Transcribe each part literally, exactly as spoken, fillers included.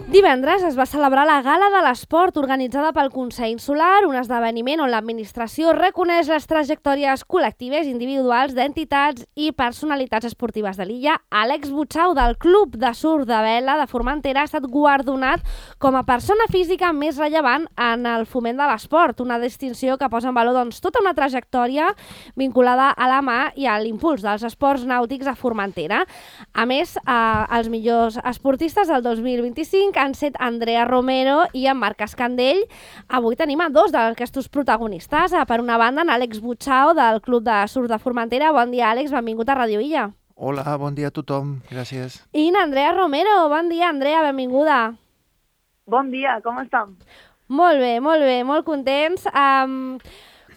Divendres es va celebrar la Gala de l'Esport organitzada pel Consell Insular, un esdeveniment on l'administració reconeix les trajectòries col·lectives i individuals d'entitats i personalitats esportives de l'illa. Àlex Butxau, del Club de Surf de Vela de Formentera, ha estat guardonat com a persona física més rellevant en el foment de l'esport, una distinció que posa en valor doncs, tota una trajectòria vinculada a la mà i a l'impuls dels esports nàutics a Formentera. A més, eh, els millors esportistes del dos mil vint-i-cinc han set Andrea Romero i en Marc Escandell. Avui tenim a dos d'aquests protagonistes. Per una banda, en Àlex Butxau, del Club de Surf de Formentera. Bon dia, Àlex, benvingut a Ràdio Illa. Hola, bon dia a tothom, gràcies. I en Andrea Romero. Bon dia, Andrea, benvinguda. Bon dia, com estem? Molt bé, molt bé, molt contents. Um,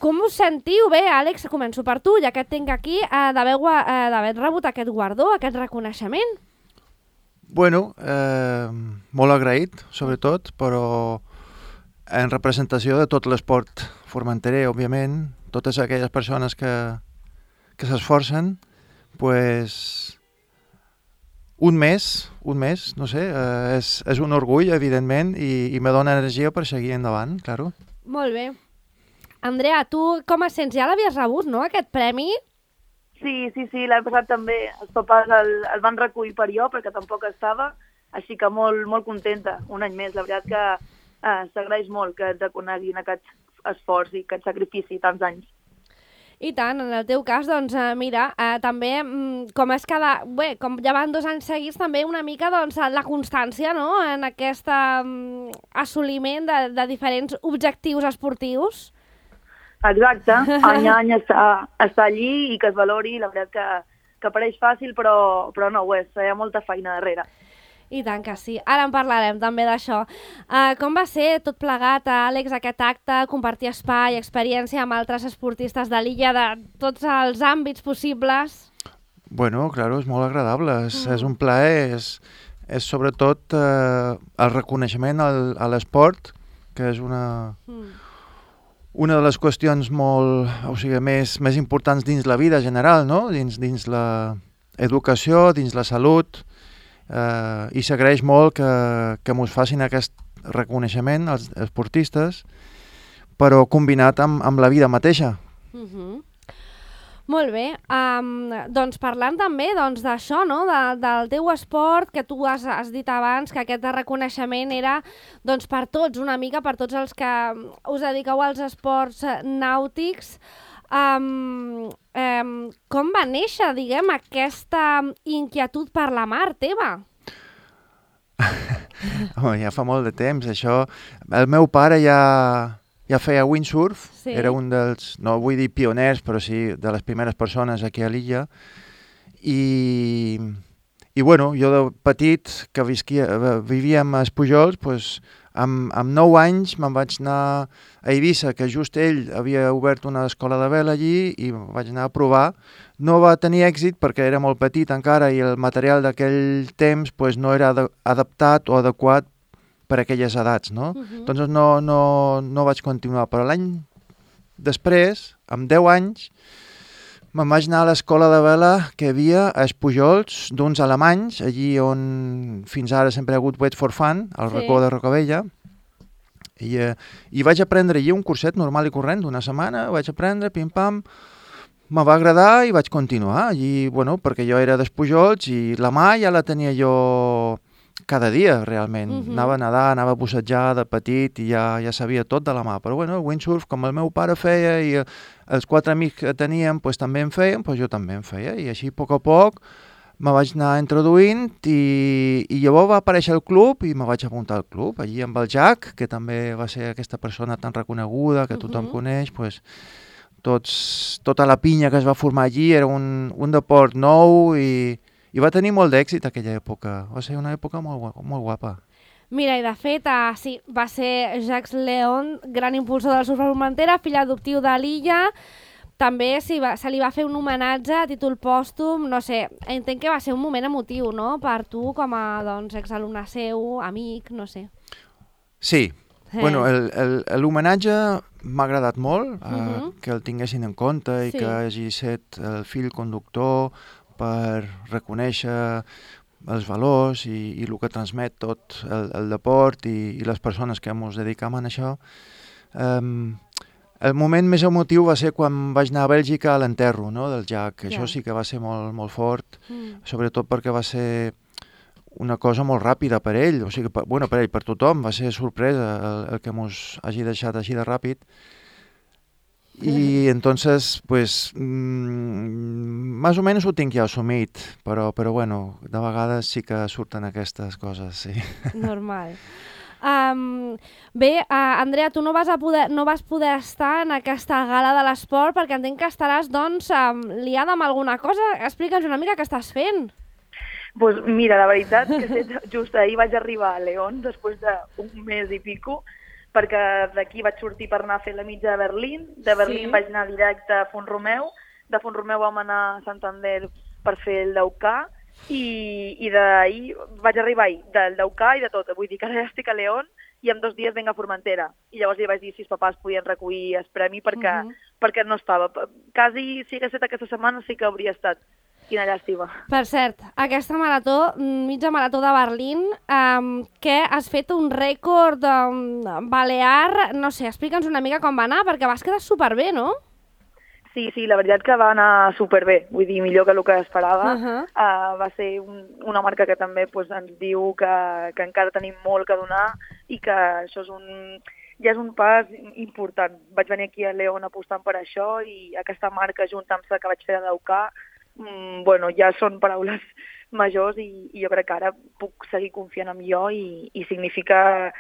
com us sentiu? Bé, Àlex, començo per tu, ja que et tinc aquí, uh, d'haver rebut aquest guardó, aquest reconeixement. Bueno, eh, molt agraït, sobretot, però en representació de tot l'esport formenterer, òbviament, totes aquelles persones que, que s'esforcen, pues, un mes, un mes, no sé, eh, és, és un orgull, evidentment, i, i me dona energia per seguir endavant, claro. Molt bé. Andrea, tu com et sents? Ja l'havies rebut, no, aquest premi? Sí, sí, sí, l'any passat també. Els papàs el, el van recollir per jo, perquè tampoc estava, així que molt, molt contenta, un any més. La veritat que eh, s'agraeix molt que et reconeguin aquest esforç i aquest sacrifici tants anys. I tant, en el teu cas, doncs, eh, mira, eh, també, com és cada... Bé, com ja van dos anys seguits, també una mica, doncs, la constància, no?, en aquest um, assoliment de, de diferents objectius esportius. Exacte, any a any està, està allí i que es valori, la veritat que, que pareix fàcil, però, però no ho és, hi ha molta feina darrere. I tant que sí, ara en parlarem també d'això. Uh, com va ser tot plegat, Àlex, aquest acte, compartir espai, experiència amb altres esportistes de l'illa de tots els àmbits possibles? Bueno, claro, és molt agradable, és, mm. és un plaer, és, és sobretot eh, el reconeixement al, a l'esport, que és una... Mm. Una de les qüestions molt, o sigui, més, més importants dins la vida general, no? Dins, dins l'educació, dins la salut, eh, i s'agraeix molt que, que mos facin aquest reconeixement als esportistes, però combinat amb, amb la vida mateixa. Mm-hmm. Molt bé, um, doncs parlant també doncs, d'això, no? de, del teu esport, que tu has, has dit abans que aquest reconeixement era doncs, per tots, una mica per tots els que us dediqueu als esports nàutics. Um, um, com va néixer, diguem, aquesta inquietud per la mar teva? Oh, ja fa molt de temps, això. El meu pare ja... Ja feia windsurf, sí. Era un dels, no vull dir pioners, però sí de les primeres persones aquí a l'illa. I, i bueno, jo de petit, que visquia, vivíem a Espujols, pues, amb, amb nou anys me'n vaig anar a Eivissa, que just ell havia obert una escola de vela allí, i vaig anar a provar. No va tenir èxit perquè era molt petit encara i el material d'aquell temps pues, no era adaptat o adequat per aquelles edats, no? Uh-huh. Doncs no, no, no vaig continuar, però l'any després, amb deu anys, me'n vaig anar a l'escola de vela que hi havia a Espujols, d'uns alemanys, allí on fins ara sempre ha hagut Wait for Fun, al sí. Racó de Rocavella, i, eh, i vaig aprendre allí un curset normal i corrent d'una setmana, vaig aprendre, pim-pam, me va agradar i vaig continuar allí, bueno, perquè jo era d'Espujols i la mà ja la tenia jo cada dia, realment. Uh-huh. Anava a nedar, anava a bussejar de petit i ja, ja sabia tot de la mà. Però bueno, el windsurf, com el meu pare feia i els quatre amics que teníem pues, també en feien, pues, jo també en feia. I així, a poc a poc, me vaig anar introduint i, i llavors va aparèixer el club i me vaig apuntar al club. Allí amb el Jack, que també va ser aquesta persona tan reconeguda, que tothom uh-huh. coneix, pues, tots, tota la pinya que es va formar allí era un, un deport nou i... I va tenir molt d'èxit aquella època. Va ser una època molt, molt guapa. Mira, i de fet, uh, sí, va ser Jacques Leon, gran impulsor del surf a Formentera, fill adoptiu de l'illa. També sí, va, se li va fer un homenatge a títol pòstum. No sé, entenc que va ser un moment emotiu, no?, per tu com a doncs, exalumne seu, amic, no sé. Sí. Sí. Bueno, l'homenatge m'ha agradat molt, uh, uh-huh. que el tinguessin en compte i sí. que hagi set el fill conductor per reconèixer els valors i, i el que transmet tot el, el deport i, i les persones que ens dedicam a això. Um, el moment més emotiu va ser quan vaig anar a Bèlgica a l'enterro, no?, del Jack. Yeah. Això sí que va ser molt, molt fort, mm. sobretot perquè va ser una cosa molt ràpida per ell, o sigui, per, bueno, per ell, per tothom, va ser sorpresa el, el que mos hagi deixat així de ràpid. Y entonces, pues, mmm, más o menos ho tinc ja assumit, però, però bueno, de vegades sí que surten aquestes coses, sí. Normal. Um, bé, uh, Andrea, tu no vas, a poder, no vas poder estar en aquesta gala de l'esport perquè entenc que estaràs, doncs, um, liada amb alguna cosa. Explica'ns una mica què estàs fent. Pues mira, la veritat que just ahir vaig arribar a León després d'un mes i pico, perquè d'aquí vaig sortir per anar a fer la mitja de Berlín, de Berlín sí. vaig anar directe a Font-romeu, de Font-romeu vam anar a Santander per fer el Daukà, i, i d'ahir vaig arribar ahir, del Daukà i de tot, vull dir que ara ja estic a León i en dos dies venc a Formentera, i llavors li vaig dir si els papàs podien recollir el premi perquè, uh -huh. perquè no estava. Quasi si hagués estat aquesta setmana sí que hauria estat. Quina llàstima. Per cert, aquesta marató, mitja marató de Berlín, um, que has fet un rècord um, balear, no sé, explica'ns una mica com va anar, perquè vas quedar superbé, no? Sí, sí, la veritat que va anar superbé, vull dir, millor que el que esperava. Uh-huh. uh, va ser un, una marca que també pues, ens diu que, que encara tenim molt que donar i que això és un... ja és un pas important. Vaig venir aquí a León apostant per això i aquesta marca, junt amb la que vaig fer a Daukà, Mm, bueno, ja són paraules majors i, i jo crec que ara puc seguir confiant en jo i, i significa,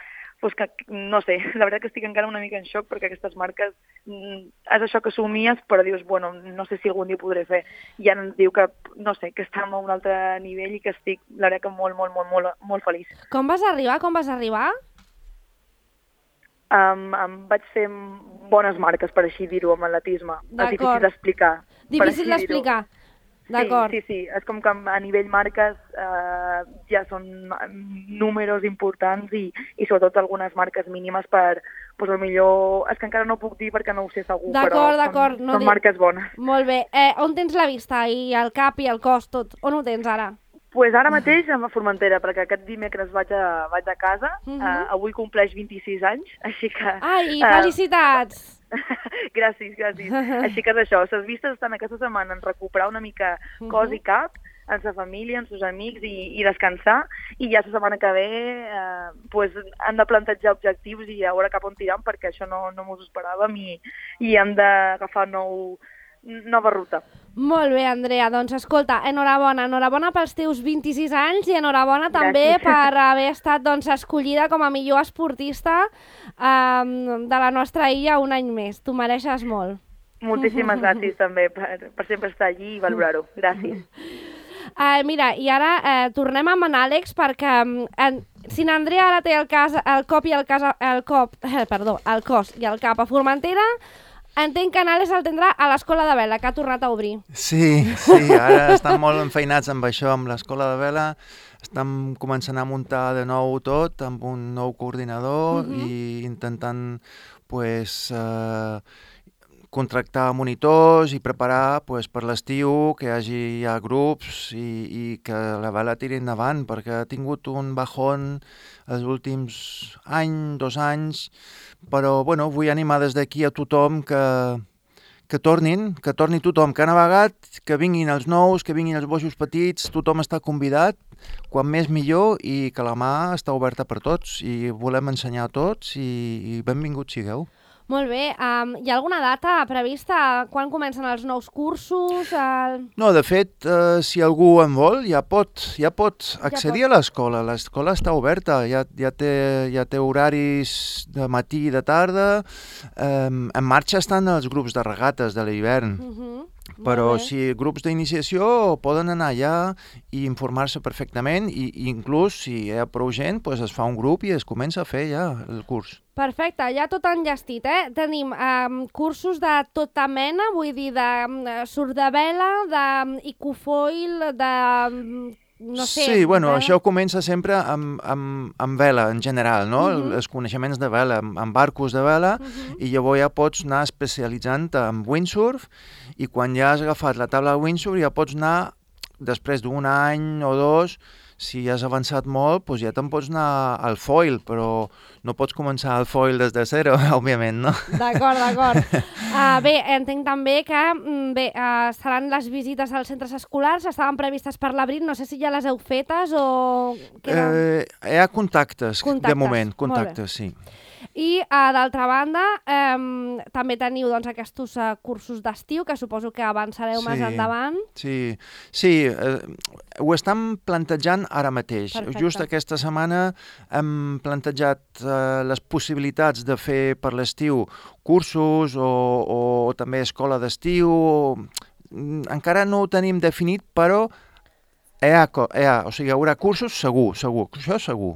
pues que, no sé, la veritat que estic encara una mica en xoc perquè aquestes marques, mm, és això que somies, però dius, bueno, no sé si algun dia ho podré fer. I ja ens diu que, no sé, que estem a un altre nivell i que estic, la veritat que molt, molt, molt, molt, molt feliç. Com vas arribar? Com vas arribar? Um, um, vaig fer bones marques, per així dir-ho, amb atletisme. És difícil d'explicar. Difícil d'explicar. Sí, sí, sí, és com que a nivell marques eh, ja són números importants i, i sobretot algunes marques mínimes per, doncs millor, és que encara no puc dir perquè no ho sé segur, però són, no són marques bones. Molt bé, eh, on tens la vista i el cap i el cos, tot? On ho tens ara? Pues ara mateix a Formentera, perquè aquest dimecres vaig a, vaig a casa, uh -huh. uh, avui compleix vint-i-sis anys, així que... Ai, felicitats! Uh, gràcies, gràcies. Així que és això, les vistes estan aquesta setmana en recuperar una mica cos i cap, en sa família, en sus amics i, i descansar, i ja la setmana que ve eh, pues, han de plantejar objectius i a veure cap on tiram, perquè això no, no m'ho esperàvem i, i hem d'agafar nou, nova ruta. Molt bé, Andrea, doncs escolta, enhorabona, enhorabona pels teus vint-i-sis anys i enhorabona també Gràcies. Per haver estat doncs, escollida com a millor esportista um, de la nostra illa un any més. T'ho mereixes molt. Moltíssimes gràcies també per, per sempre estar allí i valorar-ho. Gràcies. Uh, mira, i ara uh, tornem amb en Àlex perquè um, si en Andrea ara té el, cas, el cop i el, cas, el cop, eh, perdó, el cos i el cap a Formentera, entenc que Àlex el tindrà a l'Escola de Vela, que ha tornat a obrir. Sí, sí, ara estan molt enfeinats amb això, amb l'Escola de Vela. Estan començant a muntar de nou tot, amb un nou coordinador uh-huh. i intentant pues, eh, contractar monitors i preparar pues, per l'estiu que hi hagi ja grups i, i que la Vela tiri endavant, perquè ha tingut un bajón els últims any, dos anys, però bueno, vull animar des d'aquí a tothom que, que tornin, que torni tothom que ha navegat, que vinguin els nous, que vinguin els boixos petits, tothom està convidat, quan més millor, i que la mà està oberta per tots i volem ensenyar a tots i, i benvinguts sigueu. Molt bé. Um, hi ha alguna data prevista? Quan comencen els nous cursos? El... No, de fet, uh, si algú en vol, ja pot, ja pot accedir ja pot. a l'escola. L'escola està oberta, ja, ja, té, ja té horaris de matí i de tarda. Um, en marxa estan els grups de regates de l'hivern. Uh-huh. Però si grups d'iniciació poden anar allà i informar-se perfectament i, i inclús si hi ha prou gent pues es fa un grup i es comença a fer ja el curs. Perfecte, ja tot enllestit, eh? Tenim um, cursos de tota mena, vull dir, de um, surf de vela, d'icofoil, de... Um, no sé... Sí, bueno, vela. Això comença sempre amb, amb, amb vela en general, no? Uh-huh. Els coneixements de vela, amb, amb barcos de vela, uh-huh. i llavors ja pots anar especialitzant en windsurf i quan ja has agafat la taula de windsurf ja pots anar, després d'un any o dos, si has avançat molt, doncs ja te'n pots anar al foil, però no pots començar el foil des de zero, òbviament, no? D'acord, d'acord. Uh, bé, entenc també que bé, uh, seran les visites als centres escolars, estaven previstes per l'abril, no sé si ja les heu fetes o... Eh, hi ha contactes, contactes, de moment, contactes, sí. I, uh, d'altra banda, um, també teniu doncs, aquests uh, cursos d'estiu, que suposo que avançareu sí, més endavant. Sí, sí eh, ho estem plantejant ara mateix. Perfecte. Just aquesta setmana hem plantejat eh, les possibilitats de fer per l'estiu cursos o, o també escola d'estiu. Encara no ho tenim definit, però hi ha, hi ha, o sigui, hi haurà cursos segur, segur, això segur.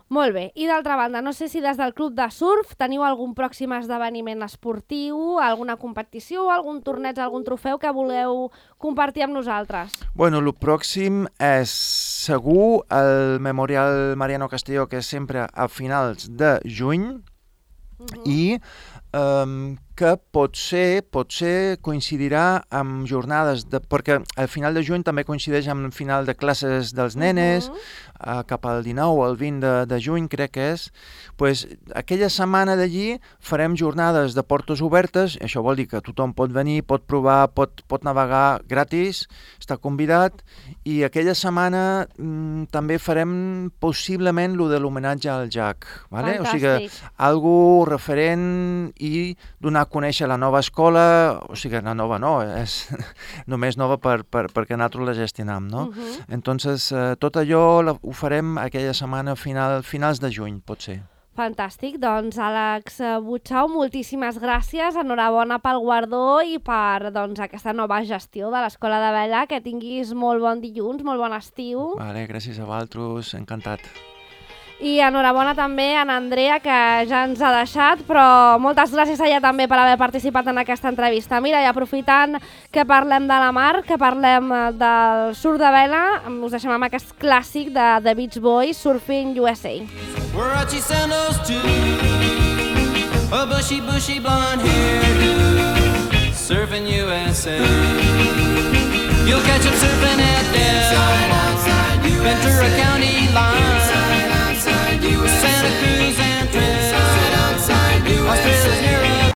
Molt bé. I d'altra banda, no sé si des del club de surf teniu algun pròxim esdeveniment esportiu, alguna competició, algun torneig, algun trofeu que voleu compartir amb nosaltres? Bueno, el pròxim és segur el Memorial Mariano Castillo, que és sempre a finals de juny, uh-huh. i um, que potser, potser coincidirà amb jornades, de, perquè al final de juny també coincideix amb el final de classes dels nenes, uh-huh. uh, cap al dinou o el vint de, de juny, crec que és. Pues, aquella setmana d'allí farem jornades de portes obertes, això vol dir que tothom pot venir, pot provar, pot, pot navegar gratis, està convidat, i aquella setmana mm, també farem possiblement lo de l'homenatge al Jack, vale? O sigui, algo referent i donar a conèixer la nova escola, o sigui, la nova no, és només nova per, per, perquè nosaltres la gestionam, no? Uh-huh. Entonces, eh, tot allò la, ho farem aquella setmana final, finals de juny, pot ser. Fantàstic, doncs Àlex Butxau, moltíssimes gràcies, enhorabona pel guardó i per doncs, aquesta nova gestió de l'Escola de Vela, que tinguis molt bon dilluns, molt bon estiu. Vale, gràcies a vosaltres, encantat. I enhorabona també a en Andrea, que ja ens ha deixat, però moltes gràcies a ella també per haver participat en aquesta entrevista. Mira, i aprofitant que parlem de la mar, que parlem del surf de vela, us deixem amb aquest clàssic de The Beach Boys, Surfing U S A. Warachi sandals too, a bushy, bushy blonde hairdo, surfing U S A. You'll catch him surfing at